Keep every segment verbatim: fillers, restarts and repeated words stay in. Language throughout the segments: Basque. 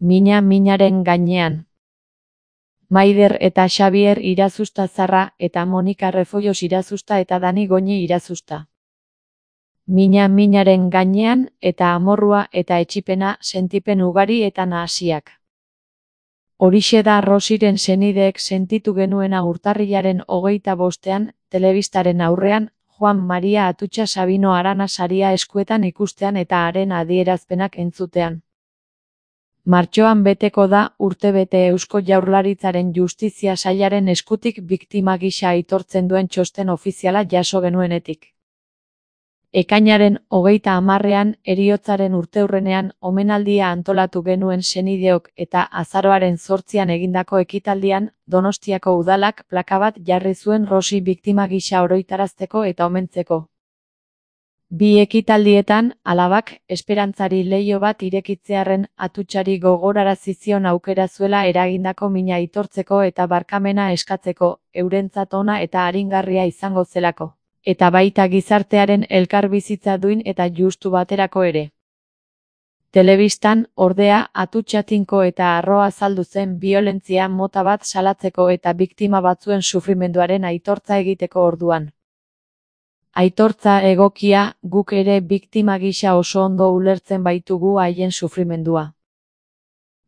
Mina minaren gainean. Maider eta Xabier Irazusta Zarra eta Monika Refollos Irazusta eta Dani Goñi Irazusta. Mina minaren gainean eta amorrua eta etxipena sentipen ugari eta nahasiak. Horixe da Rosiren senideek sentitu genuena urtarrilaren hogeita bostean, telebistaren aurrean, Juan Maria Atutxa Sabino Arana saria eskuetan ikustean eta haren adierazpenak entzutean. Martxoan beteko da urtebete Eusko Jaurlaritzaren Justizia Sailaren eskutik biktima gisa aitortzen duen txosten ofiziala jaso genuenetik. Ekainaren hogeita hamarrean heriotzaren urteurrenean omenaldia antolatu genuen senideok eta azaroaren zortzian egindako ekitaldian Donostiako udalak plaka bat jarri zuen Rosi biktima gisa oroitarazteko eta omentzeko. Bi ekitaldietan, alabak, esperantzari leiho bat irekitzearren Atutxari gogorarazi zion aukera zuela eragindako mina aitortzeko eta barkamena eskatzeko, eurentzat ona eta aringarria izango zelako, eta baita gizartearen elkarbizitza duin eta justu baterako ere. Telebistan, ordea, Atutxa tinko eta harro azaldu zen biolentzia mota bat salatzeko eta biktima batzuen sufrimenduaren aitortza egiteko orduan. Aitortza egokia, guk ere biktima gisa oso ondo ulertzen baitugu haien sufrimendua.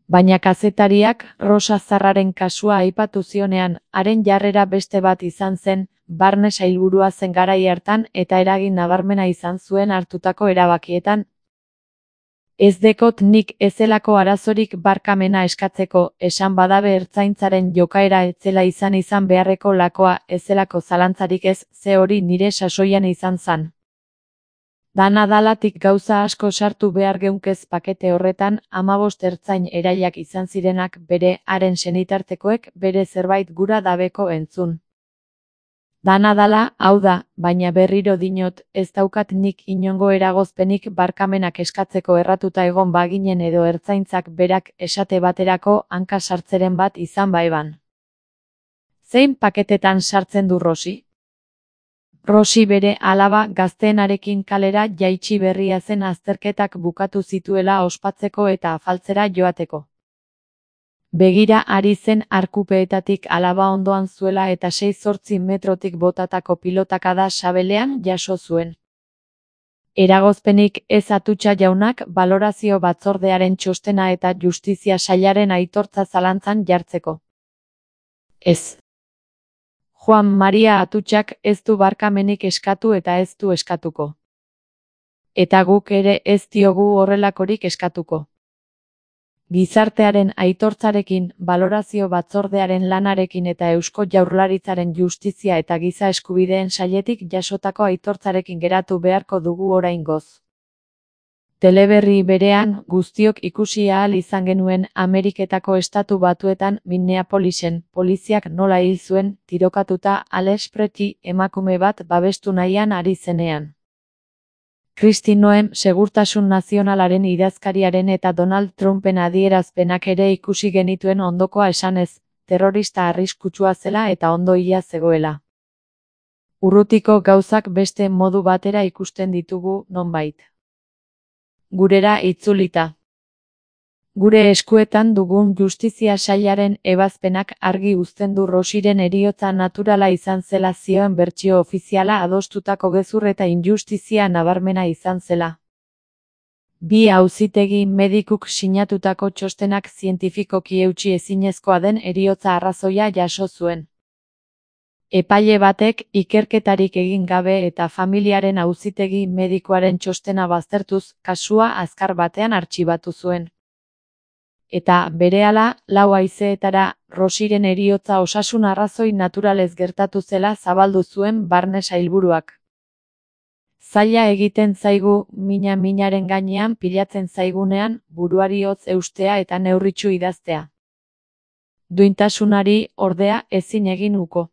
Baina kazetariak Rosa Zarraren kasua aipatu zionean, haren jarrera beste bat izan zen, barne sailburua zen garai hartan eta eragin nabarmena izan zuen hartutako erabakietan. Ez dekot nik ezelako arazorik barkamena eskatzeko, esan badabe ertzaintzaren jokaera etzela izan izan beharreko lakoa, ezelako zalantzarik ez, ze hori nire sasoian izan zan. Dana dalatik gauza asko sartu behar geunkez pakete horretan, hamabost ertzain erailak izan zirenak bere, haren senitartekoek bere zerbait gura dabeko entzun. Dana dala, hau da, baina berriro dinot, ez daukat nik inongo eragozpenik barkamenak eskatzeko erratuta egon baginen edo ertzaintzak berak esate baterako hanka sartzeren bat izan baeban. Zein paketetan sartzen du Rosi? Rosi bere alaba gazteenarekin kalera jaitsi berria zen azterketak bukatu zituela ospatzeko eta afaltzera joateko. Begira ari zen arkupeetatik alaba ondoan zuela eta sei zortzi metrotik botatako pilotakada sabelean jaso zuen. Eragozpenik ez Atutxa jaunak balorazio batzordearen txostena eta Justizia Sailaren aitortza zalantzan jartzeko. Ez. Juan Maria Atutxak ez du barkamenik eskatu eta ez du eskatuko. Eta guk ere ez diogu horrelakorik eskatuko. Gizartearen aitortzarekin, balorazio batzordearen lanarekin eta Eusko Jaurlaritzaren Justizia eta Giza Eskubideen Sailetik jasotako aitortzarekin geratu beharko dugu oraingoz. Teleberri berean, guztiok ikusi ahal izan genuen Ameriketako Estatu Batuetan Minneapolisen poliziak nola hil zuen tirokatuta Alex Pretty emakume bat babestu nahian ari zenean. Kristi Noem Segurtasun Nazionalaren idazkariaren eta Donald Trumpen adierazpenak ere ikusi genituen ondokoa esanez, terrorista arriskutsua zela eta ondo hila zegoela. Urrutiko gauzak beste modu batera ikusten ditugu nonbait. Gurera itzulita. Gure eskuetan dugun Justizia Sailaren ebazpenak argi uzten du Rosiren heriotza naturala izan zela zioen bertsio ofiziala adostutako gezur eta injustizia nabarmena izan zela. Bi auzitegi medikuk sinatutako txostenak zientifikoki eutsi ezinezkoa den heriotza arrazoia jaso zuen. Epaile batek ikerketarik egin gabe eta familiaren auzitegi medikoaren txostena baztertuz, kasua azkar batean artxibatu zuen. Eta, berehala, lau haizeetara, Rosiren heriotza osasun arrazoi naturalez gertatu zela zabaldu zuen barne sailburuak. Zaila egiten zaigu, mina minaren gainean pilatzen zaigunean, buruari hotz eustea eta neurritsu idaztea. Duintasunari, ordea, ezin egin uko.